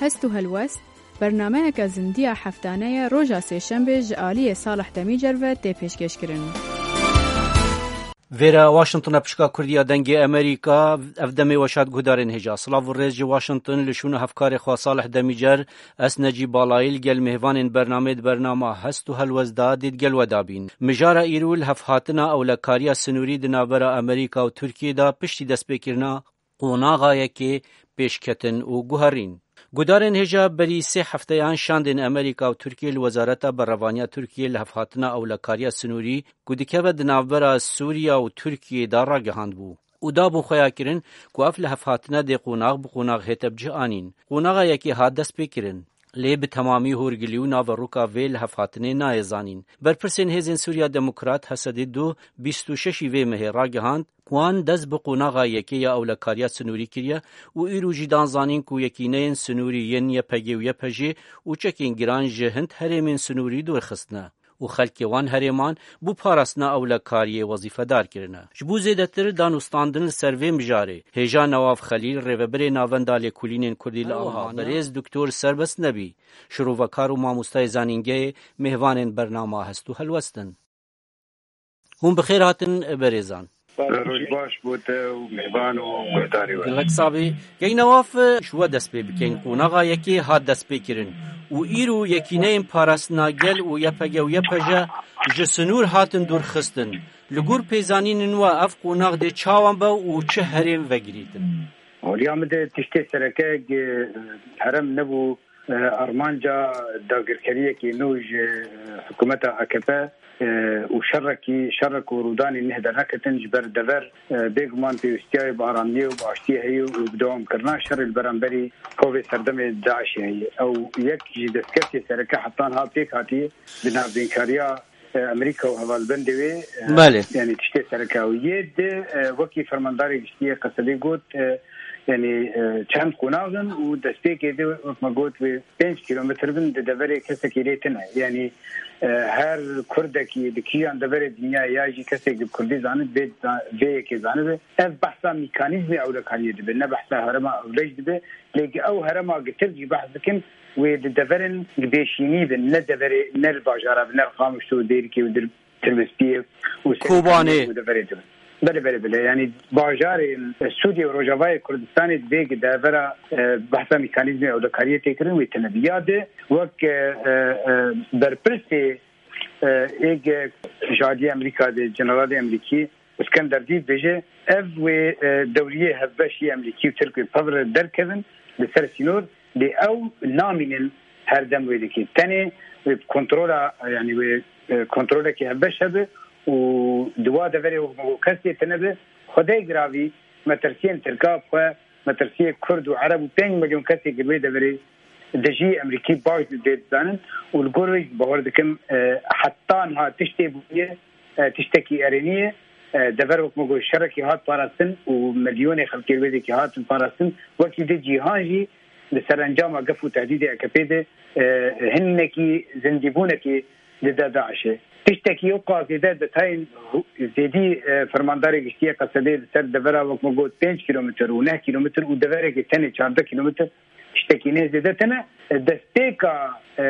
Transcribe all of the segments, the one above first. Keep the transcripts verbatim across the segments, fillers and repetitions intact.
Hest û helwest, bernameyeke zindiya heftane ye, roja sêşembê ji aliyê Salih Demîcer ve tê pêşkêşkirin. Vêre Washington e, pişka Kurdiya Dengê Amerîka, ev demê weşat guhdarên hêja. Silav û rêz ji Washington, li şûn û hevkarê xwe Salih Demîcer, ez Necîb Balayî li gel mêvanên bernamê di bernama Hest û Helwest da dê di gel we da bîn. Mijara îro li hevhatina ewlekariya sinûrî di navbera Amerîka û Tirkiyê de piştî destpêkirina qonaxa yekê pêşketin û guherîn. Gudarên hêja berî sê hefteyan şandên Amerîka û Tirkiyê li Wezareta Berevaniya Tirkiyê li hevhatina ewlekariya sinûrî ku dikeve di navbera Sûriya û Tirkiyê de ragihandbû û dabûn xweya kirin ku ev li hevhatine dê qonax bi qonax hête bi cih anîn. Qonaxa yekê hat destpêkirin. Lê bi temamî hûrgilî û naveroka vê li hevhatinê nayê zanîn. Berpirsên Hêzên Sûriya Demokrat, H S D du, bîst û şeşî vê mehê ragihand, wan dest bi qonaxa yekê ya ewlekariya sinûrî kiriye û îro jî dan zanîn ku yekîneyên sinûrî yên Y P G û Y P J û çekên giran ji hind herêmên sinûrî dûr xistine û xelkê wan herêman bo parastina ewlekariyê wezîfedar kirine. Ji bo zêdetir danûstandin li ser vê mijarê, hêja Newaf Xelîl, rêvebirê Navenda Lêkolînên Kurdî li Almanya, berêz Doktor Serbest Nebî, şirovekar û mamostayê zanîngehê, mêvanên bernama Hest û Helwest in. Hûn bi xêr hatin, berêzan. Roj baş bo te û mêvan û guhdarê we. Gelek sabî. Kek Newaf, ji we dest pê bikeyn. Qonaxa yekê hat destpêkirin û îro yekîneyên parastina gel û Y P G û Y P J ji sinûr hatin dûrxistin. Li gor pêzanînên we ev qonax dê çawan be û çi herêm vegirîtin? Holiya min de tiştê sereke ge-, herem nebû. E, armanca dagirkeriyekê nû ji, e, hikûmeta A K P, e, û şerekî, şerek û rûdanên neh derneketin ji ber dever, e, bêguman pêwîstiyayê bi aramiyê û bi aştiyê heye û bi dewamkirina şerê li beramberî kovê serdemê DAIŞê heye. Ew yek ji destkeftê sereke heta niha pêk hatiye di navbeynkariya, e, Amerîka û hevalbendê wê, e, Belê. Yanî tiştê sereke ew yê di, e, wekî fermandarê giştî yê Qesedê got, e, yanî, e, çend qonax in û destpêkê de wek me got wê pênc kîlometr bin di deverê kesekî lê tine. Yanî, e, her Kurdekî di kîjan deverê dinyayê ya jî kesek di Kurdî zanib, vê, vê yekê zanibe. Ev behsa mîkanîzmê ewlekariyê dibe, ne behsa herêma ewlej dibe. Lê ew herêma gitir jî behs dikin, wê di deverên di bêşînî bin, ne deverê, ne li bajara bin, ne li Qamişlo û Dêrikê û dir-, Tirbespiyê û Kobanê. Serêkaniyê û deverê din. Belê, belê, belê. Yanî bajarên Sûriyê û Rojavayê Kurdistanê divê ki devera, e, behsa mekanîzmê ewlekariyê tê kirin wê tine bî. Ya di wek, e, e, e, berpirsê, e, êg ji aliyê Amerîka de, Generalê Amerîkî Îskender Dî dibêje, ev wê, e, dewriyê hevbeş yê Amerîkî û Tirk wê pevre derkevin li ser sînor, lê ew namînin her dem wê dikê. Tenê wê bi kontrola, yanî wê, e, kontrolekî hevbeş hebe û di wa deverê wek kes lê tine be. Xwedê giravî metirsiyên Tirka bi xwe, metirsiyê Kurd û Ereb û pênc milyon kesê ki wê deverê dijî Emerîkî baş dê dizanin û li gor wê jî bawer dikim, e, heta niha tiştê bûye, e, tiştekî erênî ye. E, dever wek me got şerekî hat parastin û milyonê xelkê wê dikî hatin parastin. Wekî di cîhan jî li ser encama gef û tehdîdê A K P de, e, hinekî zindîbûnekî dide DAIŞê. Tiştekî ew qas zêde detayên hu-, zêdî, e, fermandarê giştî yê Qesedê li ser devera wek me got pênc kîlometr û neh kîlometr û deverekê tenê çardeh kîlometr tiştekî nê zêde tine. E, destpêka, e,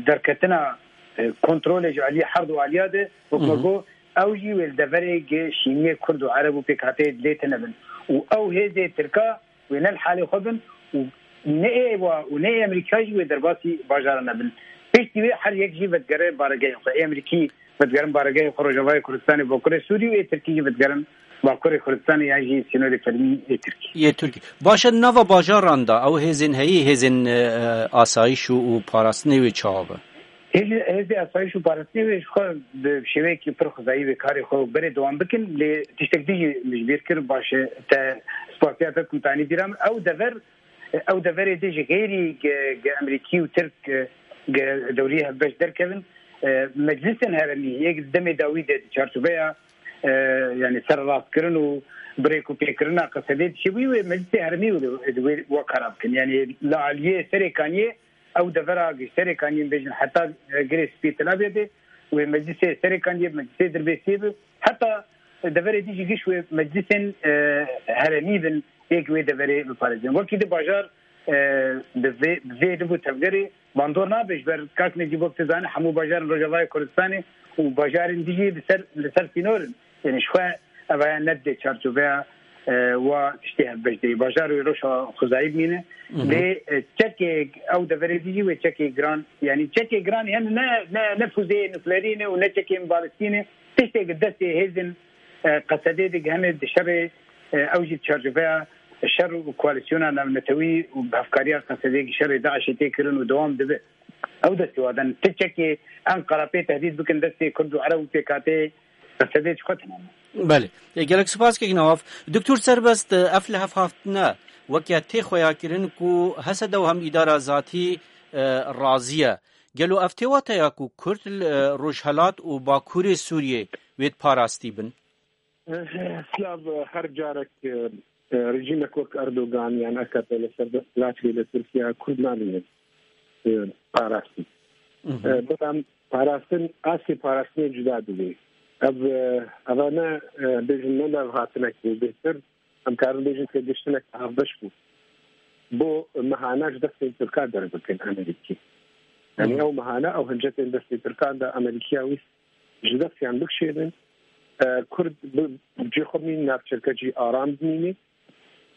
derketina, e, kontrolê ji aliyê her du aliya de wek me got ew jî wê li deverê gi şîniyê Kurd û Ereb û pêkhateyê dilê tine bin. Û ew hêzê Tirka wê ne li halê xwe bin û ne ê wa û ne ê Amerîka jî wê derbasî bajara nebin. Piştî wê her yek jî vedigere baregehê xwe. Ê Amerîkî vedigerin baregehê xwe Rojavayê Kurdistanê, Bakurê Sûrî û ê Tirkî jî vedigerin Bakurê Kurdistanê yan jî sînorê fermî ê Tirkî. Yê Tirkî. Baş e, nava bajaran de ew hêzên heyî, hêzên, e, e, asayîş û, û parastinê wê çawa be? Hêzê, hêzê asayîş û parastinê wê ji xwe bi şêweyekî pir xwezayî wê karê xwe berê dewam bikin, lê tiştek din jî min ji bîr kir, baş e, te spasiya te ku tanî bîra min. Ew dever, ew deverê dê ji xêrî ge, ge Emerîkî û Tirk, ge, ge dewriyê hevbeş derkevin. E, meclisên herêmî yek di demê dawî de di çarçoveya, e, yanî serrastkirin û birêkûpêkirina Qesedê dişibûyî wê meclisê herêmî wê, wê, wê wa kara bikin. Yanî li aliyê Serê Kaniyê ew devera gi Serê Kaniyê bêjin heta, e, Girê Spî Tel Abyadê wê meclisê Serê Kaniyê, meclisê Dirbêsiyê bi heta deverê dî jî giş wê meclisên, e, herêmî bin yek wê deverê biparêzin. Wekî di bajar e, bi vê, bi vê liv û tevgerê bandor nabe, ji ber kak Necîb wek tu zanî hemû bajarên Rojavayê Kurdistanê û bajarên dî jî li ser, li ser sînor in. Yanî ji xwe ev heye ne didê çarçoveya, e, wa tiştê hevbeş de yê. Bajar wê rewşa xwezayî bimîne. Lê, e, çekê ew deverê dî jî wê çekê giran, yanî çekê giran, yanî ne, ne, ne fuzeyê nuklerî ne û ne çekên balistî ne. Tiştê di destê hêzên, e, Qesedê de hene di şerê, e, ew jî di çarçoveya şer û koalîsyona navnetewî û bi hevkariya Qesedê şerê DAIŞê tê kirin û dewam dibe. Ew destê wan de ne. Ti çekê Enqera pê tehdîd bikin destê Kurd û Ereb û pêkhateyê Qesedê ji xwe tune ne. Belê. E, gelek spas kek Newaf. Doktor Serbest, e, ev li hev haftine weke tê xweya kirin ku H S D û hem îdara zatî, e, razî ye. Gelo ev tê wateya ku Kurd li, e, Rojhelat û Bakurê Sûriyê wê parastî bin? Silav, her carek, e, e, rejîmek wek Erdogan yan A K P li ser desthilatê li Tirkiye Kurd namîne, e, parastî. E, belam parastin, astê parastinê cuda dibê. Ev, e, eva ne, e, bêjin ne levhatinek bû, bêhtir em karin bêjin têgiştinek hevbeş bû. Bo mehana ji destên Tirka derbikin Amerîkî. Yanî ew mehana, ew hincetên destê Tirkan de Amerîkiya wî ji destiyan bikişênin. E, Kurd bi, bi cê xwe bimînin, navçerke jî aram bimîne.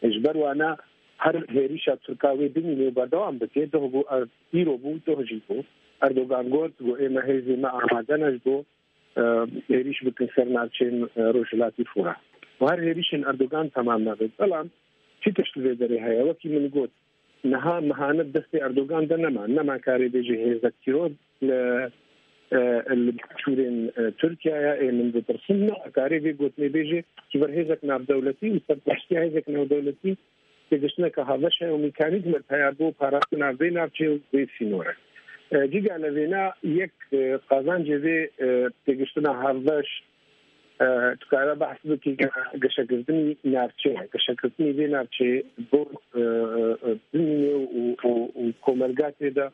E, ji ber wana her hêrîşa Tirka wê bimîne û berdewam bike. Doh bû, e, îro bû, doh jî bû. Erdogan got, got, ême hêzê me amade ne ji bo, e, hêrîş bikin ser navçeyên, e, Rojhilatî Furat. Û her hêrîşên Erdogan temam nabe. Belam çi tişt li vê derê heye? Wekî min got, niha mehane destê Erdogan de nema. Nema karê bêjê hêzek tîror li, e, li başûrên, e, Tirkiyeyê ê min ditirsin. Nema karê vê gotinê bêjê ji ber hêzek navdewletî û serpereştiya hêzek navdewletî têgiştineke hevbeş heye û mîkanîzmek heye bo parastina vê navçeyê û vê sînorê. E, cîga li vêna yek, e, qazancê vê, e, têgiştina hevbeş, e, tu kare behs bikî ge-, geşekirdinî navçeyê, geşekirdinî vê navçeyê bo, e, e, bimîne û, û, û komelga tê de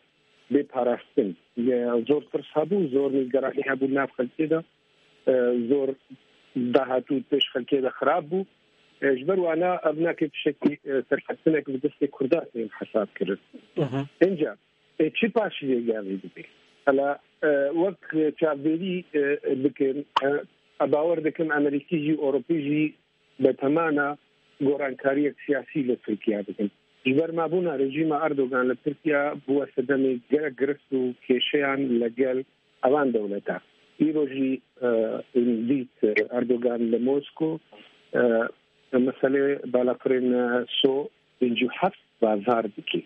bê parastin. Ye zor tirs hebû, zor nîgeranî hebû nav xelkê de, e, zor dahatû pêş xelkê de xirab bû. E, ji ber wana ev nake tiştekî, e, serkeftinek bi destê Kurda tên hesab kirin. Hı hı. Înca, e, çi paşî vê gavê dibe? Hela, e, wek çavdêrî, e, bikin, e, e, bawer dikim Amerîkî jî, Ewropî jî betemana gorankariyek siyasî li Tirkiye bikin. Ji ber mabûna rejîma Erdogan li Tirkiye bûye sedemê gelek girist û kêşeyan li gel evan dewleta. Îro jî, e, dît Erdogan li Mosko, e, meselê balafirên, e, So pêncî û heft bazar dike.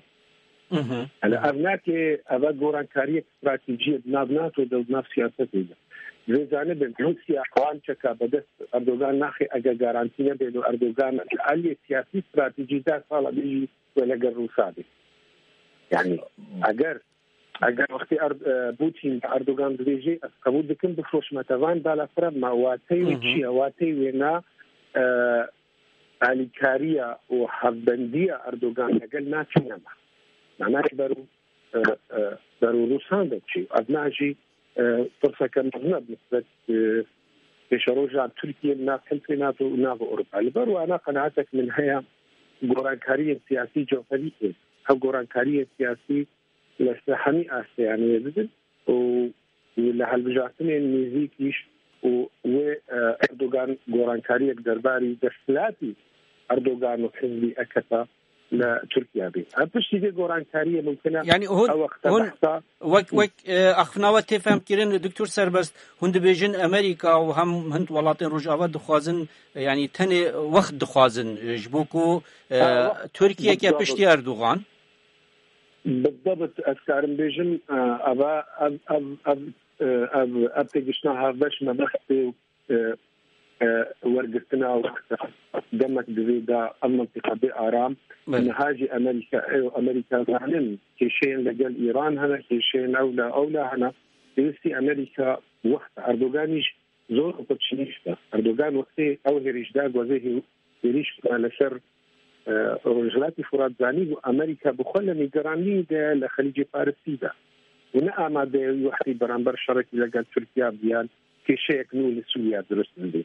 Hı hı. Yanî ev nake, ev gorankariyek stratejî ye di nav NATO de û di nav siyasetê de. Vê zanibin, Rûsya wan çeka bi dest Erdogan naxe, eger garantî nebe û Erdogan li aliyê siyasî stratejî deh sala bêjî wê legel Rûsa be. Yanî eger, eger wextê Er-, e, Putin Erdogan dibêje, ez qebûl dikim bifroşme te van balafira, ma wateyê wê Hı hı. çi ye? Wateyê wê na, e, alîkariya û hevbendiya Erdogan legel NATO nema. Mana ji ber û, e, e, ber û Rûsan de çi? Ev na jî, e, pirseke mezin e bi nisbet, e, pêşeroja Tirkiye li nav Hilfê NATO û nav Ewropa. Li ber wana qenaetek min heye, gorankariyên siyasî cewherî ê. Ev gorankariyên siyasî li ser hemî asteyan wê bibin û, û li hilbijartinên nêzîkî jî û wê, e, Erdogan gorankariyek derbarî desthilatî Erdogan û hizbî A K P li Tirkiye bê. Ev piştî vê gorankariyê mumkin e. Yanî hûn, ew wexta hûn behsa wek, wek, e, axiftina we tê fehmkirin, Doktor Serbest, hûn dibêjin Amerîka û hem hin welatên Rojava dixwazin, e, yanî tenê wext dixwazin, e, ji bo ku, e, Ha, wext, Tirkiyeke wext piştî Erdogan. Bi debit ez karim bêjim, e, eva, ev, ev, ev, e, ev, ev têgiştina hevbeş me bextê, e, e, wergirtina wexta demek divê da ev mintîqa bê aram. Belê. Niha jî Amerîka, ew Amerîka zanin, kêşeyên legel Îran hene, kêşeyên ewla, ewla hene. Pêwîstî Amerîka wexta Erdoganî jî zor opportunîst e. Erdogan wextê ew hêrîş da, gozê hê-, hêrîş da li ser, e, Rojhilatî Furat zanî bû Amerîka bi xwe li nîgeranî de li Xelîcê Parisî de. Û ne amade ye wî wextî beramber şerekî legel Tirkiye biyan kêşeyek nû li Sûriye dirust bibe.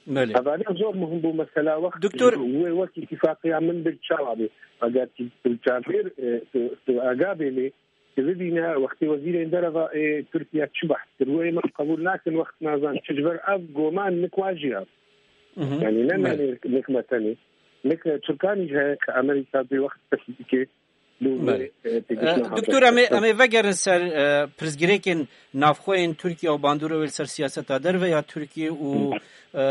Belê. Hevalê zor muhim bû mesela wext Doktor wê wek îtîfaqiya min bir çawa bê. Eger ki tu çavêr, e, tu, tu aga bê lê, tu bibîne wextê wezîrên dereva ê Tirkiye çi behs kir. Wê min qebûl nakin wext nazan çi ji ber ev goman nik wa jî ya. Mhm. Yani ne Belê. Nanê nik me tenê. Nik Tirkanî ji heye ki Amerîka bê wext dest dike. Belê. E, Doktor, em ê, em ê vegerin ser, e, pirsgirêkên navxwe yên Tirkiye û bandora wê li ser siyaseta derve ya Tirkiye û, e, e,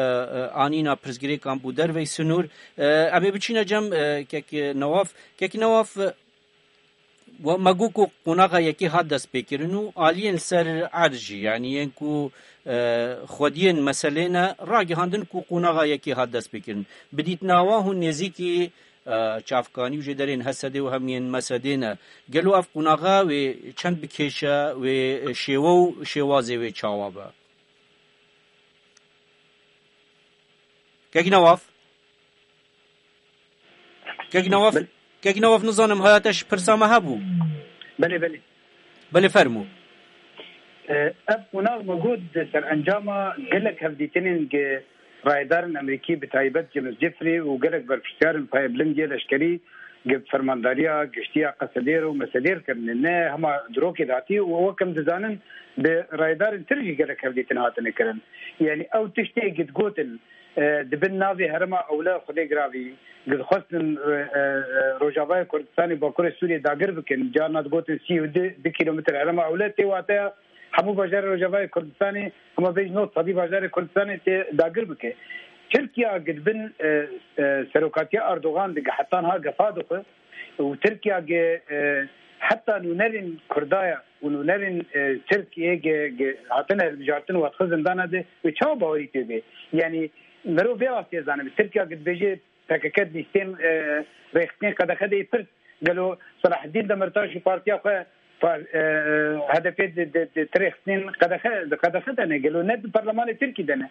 anîna pirsgirêkan bo derveyî sinûr. E, em ê biçîne cem, e, kek Newaf. Kek Newaf, e, we, me got ku qonaxa yekê hat destpêkirin û aliyên li ser erd jî, yanî yên ku, e, xwediyên meselê ne, ragihandin ku qonaxa yekê hat destpêkirin. Bi dîtina we hûn nêzîkî e, çavkanî û jêderên H S D û hem yên M S D ne. Gelo ev qonaxa wê çend bikêşe, wê şêwe û şêwazê wê çawa be? Kek Newaf? Kek Newaf, Belê. Kek Newaf nizanim haya te ji pirsa me hebû? Belê, belê. Belê, fermû. E, ev qonax me got di serencama gelek hevdîtinên gi rayedarên Amerîkî, bi taybet James Jeffrey û gelek berpirsiyarên payebilind yê leşkerî gi fermandariya giştî ya Qesedêr û Mesedêr kirine. Ne hema di rokê de hatî û wek em dizanin bi rayedarên tir jî gelek hevdîtin hatine kirin. Yanî ew tiştê gi digotin, e, di bin navê herêma ewle Xwedê giravî, gi dixwestin, e, e, e, Rojavayê Kurdistanê Bakurê Sûriyê dagir bikin. Carna digotin sî û du, du kîlometr herêma ewle tê wateya hemû bajarê Rojavayê Kurdistanê, hema bêjin nod sedî bajarê Kurdistanê tê dagir bike. Tirkiya gi di bin, e, e, serokatiya Erdogan de gi heta niha gefa dixwe û Tirkiya gi, e, heta nûnerên Kurdaya û nûnerên, e, Tirk ê gi, gi hatine hilbijartin û hatixwe zindana de wê çawa bawerî pê bê? Yanî mirov vê rastiyê zanibe. Tirkiya gi dibêje P K K lîstên, e, rêxistinên qedexe de yê pirs. Gelo Selaheddîn Demirtaş û partiya xwe par-, e, e, H D P di, di, di, di rêxistinên qedexe, di qedexe de ne? Gelo ne di perlemanê Tirkî de ne?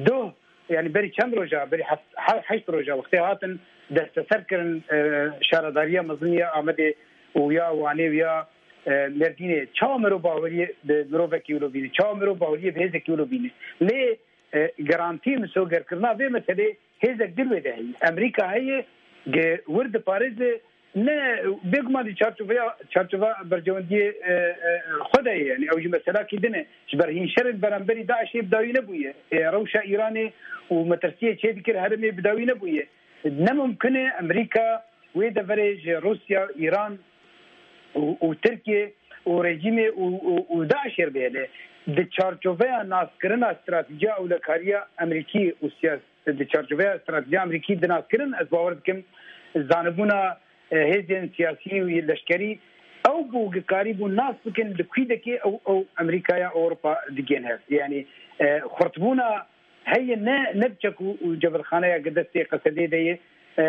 Doh, yani berî çend roja, berî heft, he-, heşt roja wextê hatin desteser kirin, e, şaredariya mezin ya Amedê û ya Wanê û ya, e, Mêrdînê. Çawa mirov baweriyê bi mirovekî wilo bîne? Çawa mirov baweriyê bi hêzekî wilo bîne? Lê, e, garantî misogerkirina vê meselê hêzek din wê de heye. Amerîka heye, gi wir diparêze, ne, bêguman di çarçoveya, çarçova berjewendiyê, e, e, xwe de ye. Yani ew jî meselakî din e. Ji ber hîn şerên beramberî DAIŞê bi dawî nebûye. E, rewşa Îranê û metirsiyê çê dikir herêmê bi dawî nebûye. Ne mumkin e Amerîka wê deverê ji Rûsya, Îran û, û Tirkiye û rejîmê û, û, û DAIŞê re bihêle. Di çarçoveya naskirina stratejiya ewlekariya Amerîkî û siyas-, di çarçoveya stratejiya Amerîkî di naskirin, ez bawer dikim zanibûna, e, hêzên siyasî û leşkerî ew bû, gikarî bû nas bikin li kû dekê ew, ew Amerîkaya Ewropa digên hev. Yani, e, xurtbûna heye ne, ne bi çek û, û cebilxaneya gi destê Qesedê de ye, e,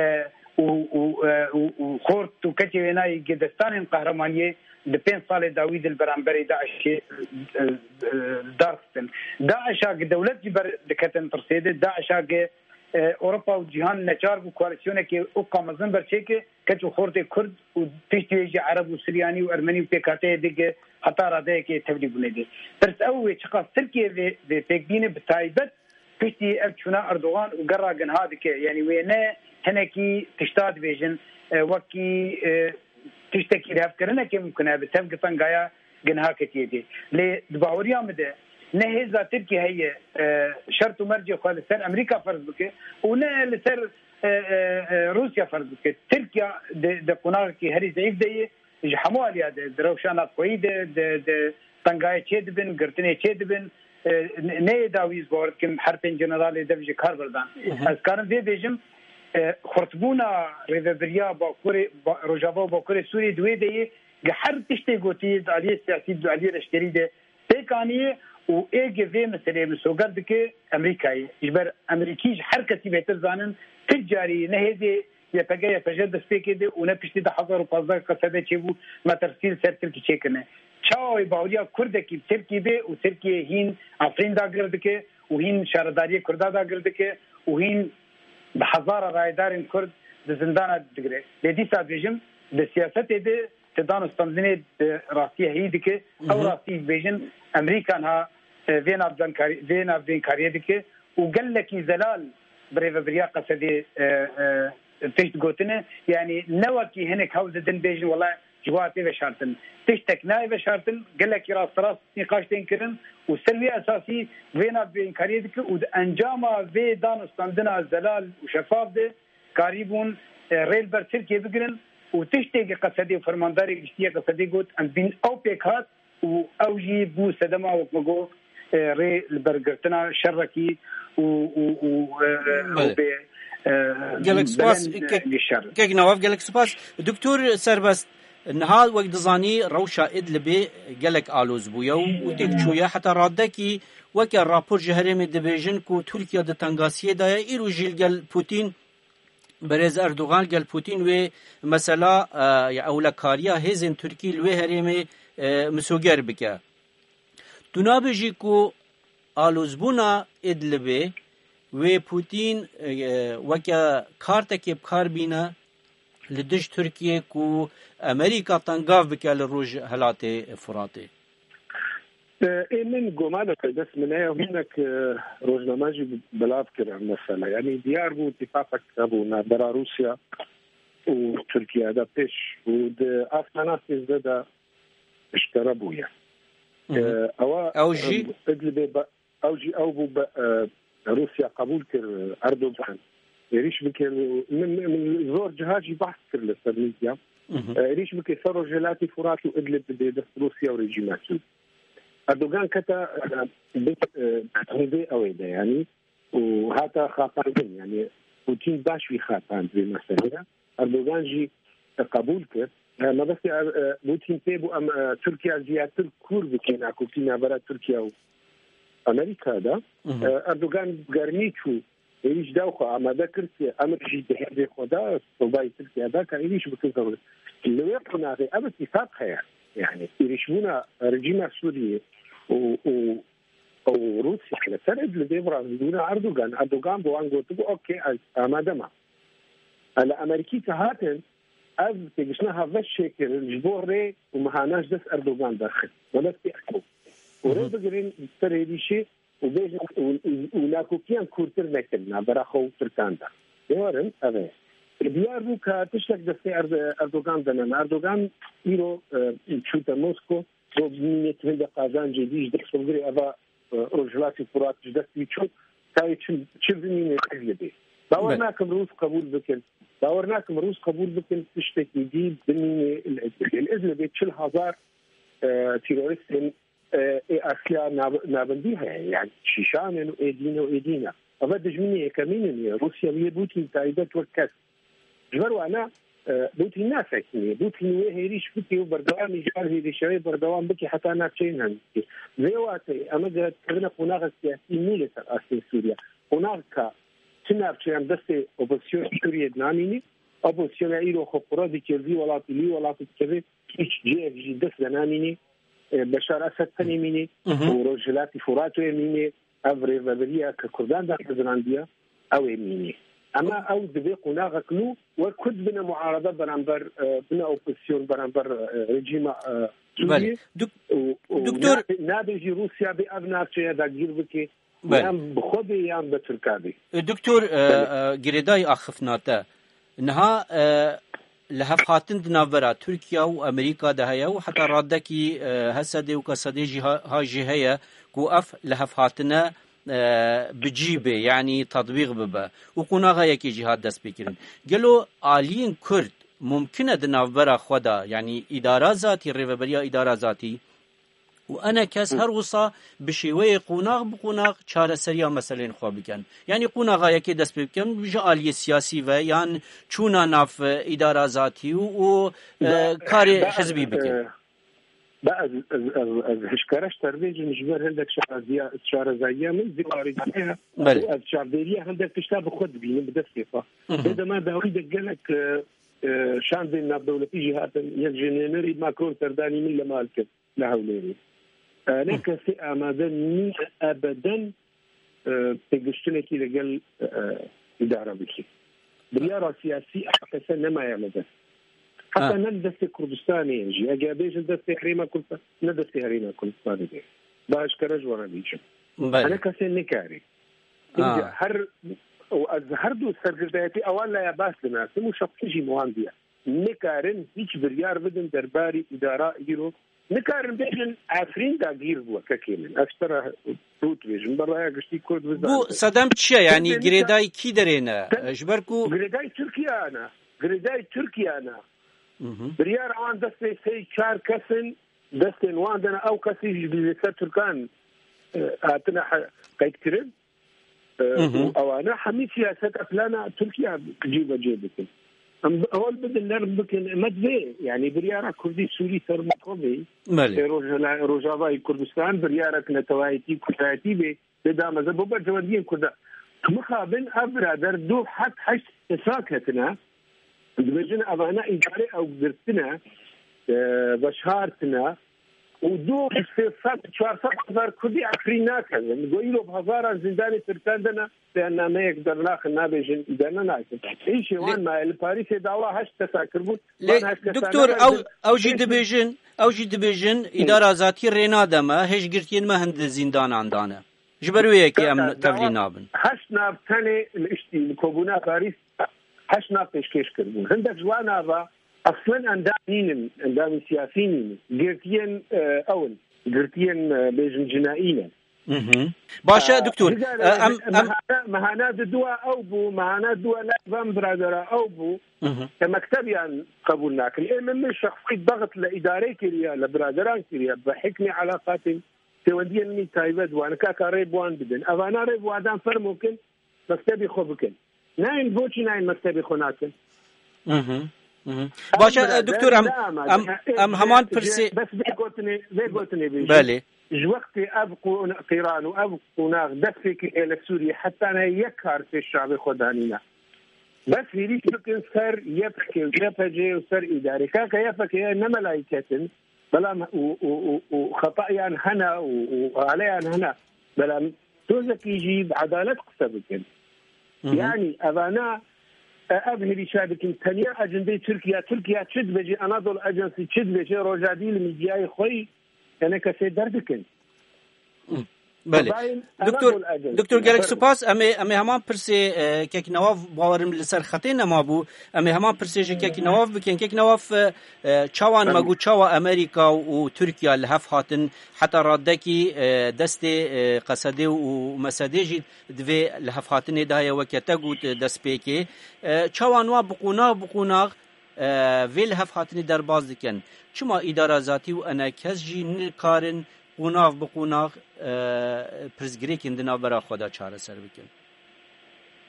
û, û, e, û, û xort û keçê wênayê gi destanên qehremaniyê di pênc salê dawî de li beramberê DAIŞê, e, e, darxistin. DAIŞa gi dewlet jî ber diketin tirsê de, DAIŞa gi, e, Ewropa û cîhan neçar bû koalîsyonekê û qamezin berçêke, keç û xortê Kurd û piştî wê jî Ereb û Suryanî û Ermenî û pêkhateyê dî gi heta radeyekê tevlî bûnê dî. Pirs ew wê çiqas Tirkiye vê, vê pêk bîne, bi taybet piştî ev çûna Erdogan û gerra ginha dike. Yanî wê ne hinekî tişta dibêjin, e, wekî, e, tiştekî lihevkirinekê mimkun e, bi tev gi tengaya ginha ketiye dê. Lê di baweriya min de ne hêza Tirkî heye, e, şert û mercê xwe li ser Amerîka ferz bike û ne li ser, e, e, e, Rûsya ferz bike. Tirkiya di, di qonaxekî herî zeîf de ye, ji hemû aliya de, di rewşa navxweyî de, di, di tengayê çê dibin, girtinê çê dibin, e, ne, neyê dawî ez bawer dikim her pênc generalê dev ji kar berdan. Hı hı. Ez karim vê bêjim, e, xurtbûna rêvebiriya Bakurê, Ba-, Rojava û Bakurê Sûriyê di wê de ye, gi her tiştê gotiyê di aliyê siyasî, di aliyê leşkerî de pêk aniye û ê gi vê meseleyê misoger dike Amerîkayê. Ji ber Amerîkî ji her kesî bêtir zanin, ti carî ne hêzê Y P G Y P J destpêkê de û ne piştî du hezar û pazdeh Qesede çêbû, metirsî li ser Tirkî çêkirine. Çawa wê baweriya Kurdekî bi Tirkî bê û Tirkiye hîn Efrîn dagir dike û hîn şaredariyê Kurda dagir dike û hîn bi hezara rayedarên Kurd di zindana digire. Lê dîsa dibêjim, di siyasetê de ti dan û standinê bi rastiyê heyî dike. Ew Hı hı. rastî dibêjin, Amerîka niha, e, vê navbenkarî-, vê navbênkariyê dike û gelekî zelal bi rêvebiriya Qesedê, e, e, tişt gotine. Yanî ne wekî hinek hewl didin bêjin, wela ji bo tê veşartin. Tiştek nayê veşartin, gelekî rasterast nîqaş tên kirin û ser wî esasî vê nav bênkariyê dike û di encama vê danûstandina zelal û şefaf de karîbûn, e, rê li ber Tirkiyê bigirin û tiştê ki Qesedê û fermandarê giştî yê Qesedê got, em bîn ew pêk hat û ew jî bû sedema, wek me got, e, rê li ber girtina şerekî û, û, û, e, Belê. û bê, e, Gelek spas, belend, e, kek, li şer. Kek Nawaf, gelek spas. Doktor Serbest, niha wek dizanî rewşa Idlibê gelek aloz bûye û, û têk çûye. Heta radekî weke rapor ji herêmê dibêjin ku Tirkiye di tengasiyê de ye, îro jî li gel Putin, Berêz Erdogan gel Putin wê mesela, e, ya ewlekariya hêzên Tirkî li wê herêmê, e, misoger bike. Tu nabêjî ku alozbûna Idlibê wê Putin, e, weke kartekê bi kar bîne li dij Tirkiyê ku Amerîka tengav bike li Rojhilatê Furatê? E, ê min goma de dest min heye, hinek, e, rojname jî belav kir ev mesele. Yanî diyar bû, îtîfaqek hebû navbera Rûsya û Tirkiye de pêş û di astana sêzdeh de eşkere bûye. Hı hı. E, ewa, Ew jî? e, Idlibê be-, ew jî ew bû be-, e, Rûsya qebûl kir, e, Erdogan êrîş bike. Min, min zor ciha jî behs kir li ser medya. Hı hı. E, êrîş bike ser Rojhilatê Furat û Idlib bide dest Rûsya û rejîma Sûrî. Erdogan kete, e, bi, e, hêzê ew ê de, yanî, û hata xapandin, yanî Putin baş wî xapand vê meselê de. Erdogan jî, e, qebûl kir. E, mebestê Er-, e, Putin pê bû em, e, Tirkiye ziyadtir kûr bike nakokî navbera Tirkiye û Amerîka de. Hı hı. E, Erdogan germî çû, êrîş da xwe amade kir ki emir jî di hêzê xwe de, sobayê Tirkiye de ka êrîş bikin. Li wê qonaxê ev îtîfaq heye. Yanî êrîşbûna rejîma Sûriyê û, û, û Rûsya li ser Idlibê bi rastî bûna Erdogan. Erdogan bi wan gotibû, "Okey, ez amade me." Li Amerîkî ke hatin, ev têgiştina hevbeş çêkirin ji bo rê û mihana ji dest Erdogan derxist. Wele tê ew. Û rê Hı hı. bigirin ser êrîşê û bêjin û, û, û nakokiyan kûrtir nekin navbera xwe û Tirkan de. Ê werin, ev e. Diyar bû ka tiştek destê Erd-, Erdogan de ne. Erdogan îro, e, çûte Mosko, bo bimîne tu hinde qazancê dî ji dest xwe bigirê, eva, e, Rojhilatê Furat ji dest wî çû, tayê çi, çi bimîne ev li bê. Bawer Be- nakim Rûs qebûl bikin. Bawer nakim Rûs qebûl bikin, tiştekî dî bimîne li Idlibê. Li Idlibê çil hezar, e, teroristên e, ê asliya nav-, navendî heye. Yani şîşan in û ê dîn û ê dîn e. Eve dijminê yekemîn in ye. Rûsya wê Putin taybet wek kes. Ji ber wana, e, Putin nasekinî. Putin wê hêrîş bike û berdewamî ji ber hêrîşa wê berdewam bike heta navçeyên hemdî. Vê wateyê, eme gere dikevine qonaxek siyasî nû li ser astê Sûriye. Qonaxeka çi navçeyan destê opozîsyona Sûriye dinanînî, opozîsyona îro xwe qura dikir, vî welatî, lî welatî dikeve, hiç cihek jî dest de namînî, e, Beşar Esed tenê mînî Hı hı. û Rojhilatî Furat wê mînî, ev rêveberiya ke Kurdan daxezirandiya, ew ê mînî. Ema ew divê qonaxek nû wek Kurd bine muarada beramber, e, bine opozîsyon beramber, e, rejîma, e, Sûriyê Belê. Dok-, û, û Doktor na-, nabê jî Rûsya bê ev navçeya dagîr bike, Belê. yan bi xwe bê yan bi Tirka bê. E, Doktor, e, Belê. e, girêdayî axiftina te. Niha, e, lihevhatin di navbera Tirkiye û Amerîka de heye û heta radekî, e, Hesedê û Kesedê jî ha, ha jî heye ku ev lihevhatine, e, bi cî bê, yanî tetbîq bibe û qonaxa yekê jî hat destpêkirin. Gelo aliyên Kurd mumkin e di navbera xwe de, yanî îdara zatî, rêveberiya îdara zatî, û ene kes her wisa bi şêweyê qonax bi qonax çareseriya meselên xwe bikin. Yanî qonaxa yekê dest pê bikin, ji aliyê siyasî ve yan çûna nav, e, îdara zatî û, û, e, Be-, karê be-, hizbî bikin. e, be-, ez, ez, ez, ez hişkere ji te re bêjim, ji ber hindek şareziya-, şarezayiya min zî warî heye. Belê. Û ez çavdêriya hindek tişta bi xwe dibînim, bi destê xwe. Hı hı. Vê dema dawî de gelek, e, e, şandên navdewletî jî hatin, yek ji nênerî Macron serdanî min li mal kir. Li Hewlêrê. E, ne kesê amade nîne ebeden, e, têgiştinekî li gel, e, îdare bike. Biryara siyasî ev kese nemaye li dest. Heta Ha. ne li destê Kurdistanê ye jî. Eger bêjin destê Herêma Kurdistan, ne destê Herêma Kurdistanê de. Ba eşkere ji wan re bêjim. Belê. Hene kesê nikarî. Îca her û ez her du sergirdayetî ewan laya baş dinasim û şexsî jî wan diye. Nikarin hiç biryar bidin derbarî îdara îro. Nikarin bêjin Efrîn dagîr bû kekê min. Ez ji te re rû dibêjim. Bi raya giştî Kurd bizanibin. Bû sedem çi ye? Yanî girêdayî kî derê ne? Ji ber ku girêdayî Tirkiye ne. Girêdayî Tirkiye ne. Biryar an destê sey çar kesin, destên wan dene ew kesî ji li ser Tirkan, e, hatine he-, qeydkirin. E, û ewana hemî siyaseta plana Tirkiye cîbecê bikin. Em bi-, hol bidin nerm bikin, me divê, yanî biryara Kurdî Sûrî ser me xwe bê. Belê. Ê Rojhela-, Rojavayê Kurdistan biryarek netewayetî, kurdayetî bê. Lê dameze bo berjewendiyên Kurda. Tu mixabin ev birader du heb heşt hesab ketine. Dibêjin evane îdare ew girtine, e, veşartine û du sê sed, çar sed hezar Kurdî Efrîn nakevin. Go îro bi hezaran zîndanê Tirkan de ne, beyannameyek dernaxin, nabêjin îdare nakin. Îşê wan maye li Parîsê dawa heşt kesa kirbûn. Lê van heşt kesa doktor, ew, ew jî dibêjin, ew jî dibêjin, îdara zatî rê nademe, hêj girtiyên me hin di zîndanan dane. Ji ber wê yekê em tevlî nabin. Heşt nav tenê li iştî, li Kobûna Parîs, heşt nav pêşkêş kiribûn. Hindek ji wan nava eslen endam nînin, endamên siyasî nînin. Girtiyên, e, ew in. Girtiyên, e, bêjin cinayî ne. Baş e, doktor. E, em, em mehana, mehana di dua ew bû, mehana dua ne van biradera ew bû. Ke mektebiyan qebûl nakin. Ê min, min şexsî daxit li îdarê kiriye, li biraderan kiriye, bi hikmê elaqatên pêwendiyên min taybet wan, kaka rê bi wan bidin. Evana rê bi wadan fermo kin, mektebê xwe bikin. Nayên, boçî nayên mektebê xwe nakin? Mhm, mhm. Baş e, birader, doktor, em, em, em heman pirsê. Bes vê gotinê, vê gotinê bêjin. Belê. Ji wextê ev qûn-, qîran û ev qonax dest pê kiriye li Sûriyê, heta ne yek kar pêş çavê xwe danîne. Bes hêrîş bikin ser Y P G û Y P G û ser îdarê. Kaka Y P G ne melayî ketin. Belam û, û, û, û xetayan hene û, û aleyan hene. Belam tozekî jî bi edalet qise bikin. Hı hı. Yanî evana, e, ev hêrîşa dikin, tenya ecendê Tirkiye, Tirkiye çi dibêje, Anadolu Ajansı çi dibêje, rojadî li mîdyayê xwe yî, enê kesê derdikin. Hı. Belê. Doktor, Doktor, gelek spas. Em ê, em ê heman pirsê, e, kek Newaf, bawerim li ser xetê nema bû. Em ê heman pirsê ji kek Newaf bikin. Kek Newaf, e, e, çawan me got, çawa Amerîka û Tirkiye li hev hatin, heta radekî, e, destê, e, Qesedê û Mesedê jî di vê li hev hatinê de heye, weke te got, e, destpêkê. E, çawan wan bi qonax bi qonax e, vê li hev hatinê derbas dikin. Çima îdara zatî û enekes jî nikarin qonax bi qonax, e, pirsgirêkên di navbera xwe de çareser bikin?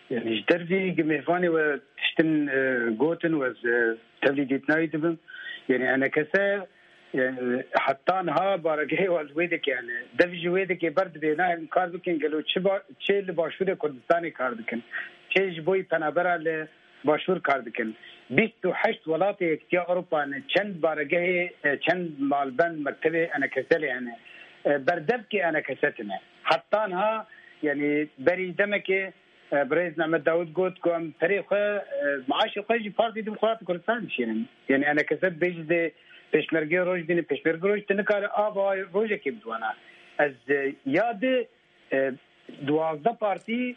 Yani ji dervî gi mêvanê we tiştin, e, gotin, we ez, e, tevlî dîtina wî dibim. Yani enekese, e, heta niha baregehê we li wê dike, yani dev ji wê dike ber dibê, nahêlin kar bikin, gelo çi ba-, çê li Başûrê Kurdistanê kar dikin? Çê ji bo yî penabera li Başûr kar dikin. Bîst û heşt welatê Yekîtiya Ewropa ne, çend baregehê, e, çend malbend, mektebê enekese lê hene. E, berdevkê enekese tine. Heta niha, yani berî demekê, e, birêz Mehmet Dawud got ku em perê xwe, e, maaşê xwe ji Partî Demokratî Kurdistan dişînin. Yani enekese dibêjî dê pêşmergê roj bîne, pêşmerge roj tu nikare ava rojekê bidiwana. Ez, e, ya di e, duwazdeh partî,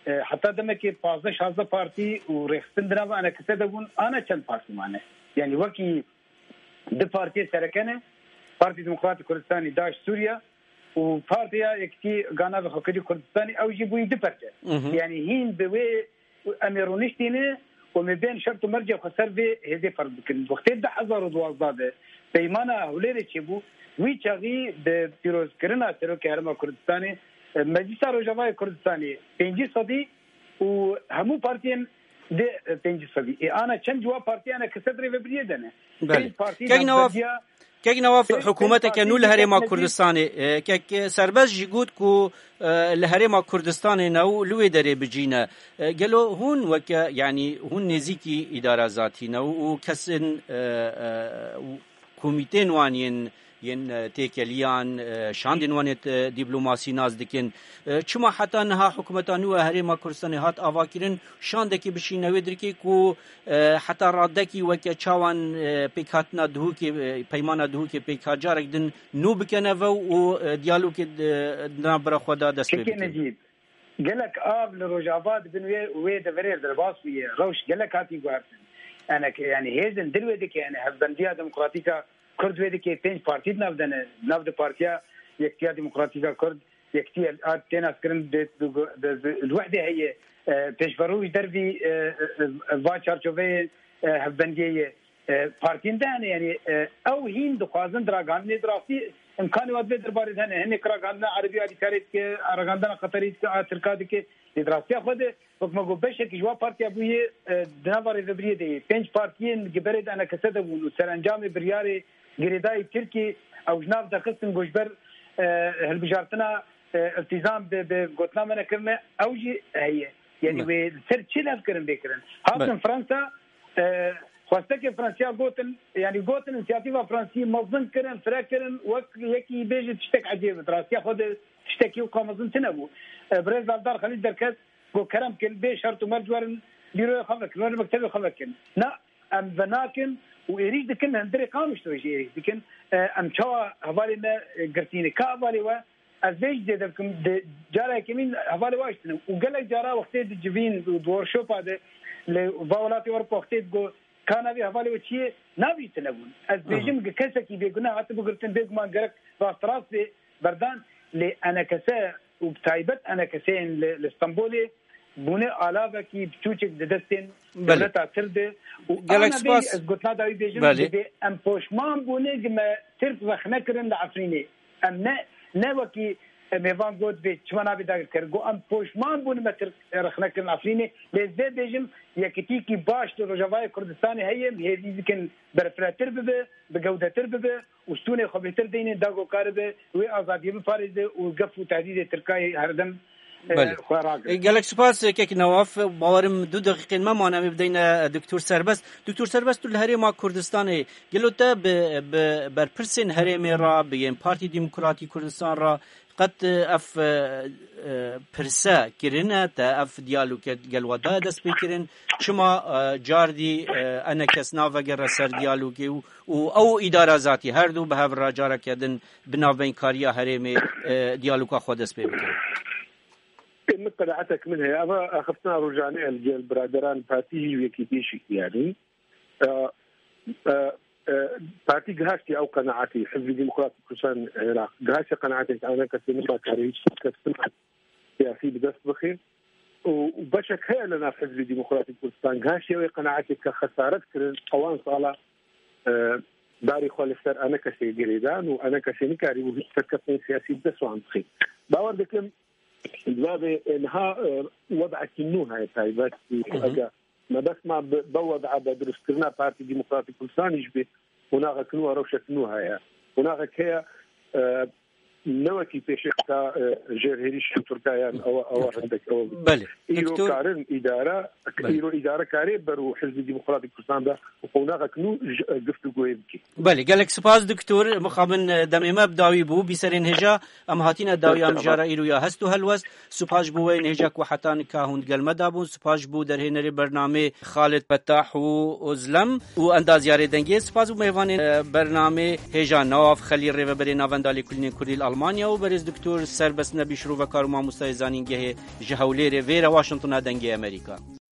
e, heta demekê pazdeh şazdeh partî û rêxistin di nava enekese de bûn, ana çend partî mane. Yani wekî di partiyê sereke ne, Partî Demokratî Kurdistanî, DAIŞ Sûriye û Partiya Yekîtî Gana ve Xwekirî Kurdistanî, ew jî bûyî du perçe. Mhm. Yani hîn bi wê Û em ê rûniştîne û em ê bên şert û mercê xwe ser vê hêzê ferz bikin. Wextê du hezar û duwazdeh de peymana Hewlêrê çêbû, wî çaxî bi pîrozkirina Serokê Herêma Kurdistanê, e, Meclisa Rojavayê Kurdistanê pêncî sedî û hemû partiyên di, e, pêncî sedî. Ê ana çend ciwa partiyane ki sedrê ve biriyê de ne? Belê. Pênc partî Kek Newaf, navbediya Kek Newaf, hikûmeteke nû li Herêma Kurdistanê, e, kek, e, Serbest jî got ku, e, li Herêma Kurdistanê ne û li wê derê bi cî ne. E, gelo hûn weke, yanî hûn nêzîkî îdara zatî ne û, û kesên, e, e, û komîtên wan yên, yên, e, têkeliyan, e, şandên wan ê, e, dîplomasî nas dikin. E, çima heta niha hikûmeta nû ya Herêma Kurdistanê hat avakirin, şandekî bişîne wê dirkê ku, e, heta radekî weke çawan, e, pêkhatina Duhokê, e, peymana Duhokê pêk hat, carek din nû bikene ve û, e, diyalogê di, di navbera xwe de dest pê Kekê bikin? Necîb, Gelek av li Rojava di bin wê, wê deverê derbas bûye. Rewş gelek hatî guhertin. Enek, yani hêzin dil wê dike, yani Hevbendiya Demokratîk a Kurd wê dike, pênc partî di nav de ne. Nav de Partiya Yekitiya Demokratîk a Kurd, Yekitî a tê naskirin, dê, dê, dê, dê, li wehdê heye. E, pêşverû ji dervî, e, e, e, va çarçoveyê, e, hevbendiyê ye. E, partiyên de hene, yani, e, ew hîn dixwazin di ragihandinê, di rastî imkanê wa divê derbarê de hene. Hinek ragihandina erebî alîkarê dike, ragihandina qeterî dike, a tirka dike. Lê di rastiya xwe de, wek me got, beşekî ji wa partiya bûye, e, di nava rêvebiriyê de ye. Pênc partiyên giberê de enekese de bûn û serencamê biryarê girêdayî Tirkî, ew ji nav derxistin ku ji ber, e, hilbijartina, e, îltîzam bi, bi gotina me nekirine, ew jî heye. Yani Me- wê li ser çi levkirin bê kirin? Hatin Me- Fransa, e, xwestekê Fransiya gotin, yani gotin, însiyatîfa Fransî mezin kirin, fire kirin, wek yekî bêje tiştek ecêb, rastiya xwe de tiştekî weka mezin tune bû. E, birêz Aldar Xelîl derket, got, kerem kin, bê şert û merc werin, bîroya xwe vekin, werin mektebê xwe vekin. Na, em venakin û êrîş dikin, li hundirê Qamişlo jî êrîş dikin. E, em çawa hevalê me, e, girtîne? Ka hevalê we, ez vê jî zêde bikim, di cara yekemîn hevalê we hiştine. Û gelek cara wextê di civîn û di workşopa de, li va welatê Ewropa wextê digo, ka navê hevalê we çi ye, navî tune bûn. Ez Aha. bêjim, gi kesekî bêguneh hati bigirtin, bêguman gerek rasterast bê berdan, lê enekese û bi taybet enekeseyên li, li Stenbolê bûne alavekî biçûçik di destên Belê. dewleta Tirk de. Û Gelek ana vê spas. ez gotina dawî bêjim, Belê. divê em poşman bûne gi me Tirk rexne kirin li Efrînê. Em ne, ne wekî, e, mêvan got vê çima nabê dagirker. Got em poşman bûne me Tirk rexne kirin Efrînê. Lê ez vê bêjim, yekitîkî baş li Rojavayê Kurdistanê heye, em hêvî dikin berfirehtir bibe, bi gewdetir bibe û stûnê xwe bêhtir deynin, da ku karibe wê azadiyê biparêze û gef û tehdîdê Tirkayê herdem, e, Belê. xwe ragire. E, gelek spas, e, kek Newaf. Bawerim du deqîqên me mane, em ê bideyne, e, Doktor Serbest. Doktor Serbest, tu li Herêma Kurdistanê, gelo te bi, bi berpirsên herêmê re, bi yên Partî Demokratî Kurdistan re, Qet, e, ev, e, e, pirse kirine te, ev diyaloge gel we daye destpêkirin? Çima, e, cardî, e, enekes navegere ser diyalogê û, û ew îdara zatî her du bi hev re careke din bi navbeynkariya herêmê, e, diyaloga xwe dest pê bikin? Ê, min qenaetek min heye. Eva axiftina rojane el gel biraderan partî jî wekî pêşî, yanî. E, e, e, partî gihaştî ew qenaetî, Hizbî Demokratîk Kurdistan Iraq, gihaştî qenaetê ke enekesê nikakarê hîç serkeftina siyasî bi dest bixê. Û, û beşek heye li nav Hizbî Demokratîk Kurdistan, gihaştî ew qenaetê ke xesaret kirin, ewan sala, e, darê xwe li ser enekesê girêdan û enekesê nikarî û hîç serkeftinê siyasî bi dest wan bixê. Bawer dikim, Divê niha, e, wedekî nû heye taybet. Hı hı. Eger mebest ma bi, bi wed'a, bi dirustkirina Partî Demokratîk Kurdistanî jî bê, qonaxek nû, rewşek nû heye. Qonaxek heye, e, ne wekî pêşê qeta, e, jêr hêrîşên Tirkiye yan ew, ew hindek ew. Belê. Îro Doktor karin îdare, Belê. îro îdare karê ber û Hizbî Demokratîk Kurdistan de qonaxek nû ji, e, giftûgoyê bike. Belê, gelek spas Doktor. Mixabin, e, demê me bi dawî bû. Bîserên hêja, em hatine dawiya Spas. mijara îro ya hest û helwest. Spas ji bo wê hêja ku heta nika hûn gel me dabûn. Spas ji bo derhênerê bernamê Xalid Fetah û Ozlem û endazyarê dengê. Spas bo mêvanên, e, bernamê hêja Newaf Xelîl, rêveberê Navenda Lêkolînên Kurdî li Almanya û berêz Doktor Serbest Nebî, şirovekar û mamostayê zanîngehê ji Hewlêrê. Vêre Washingtona Dengê Amerîka.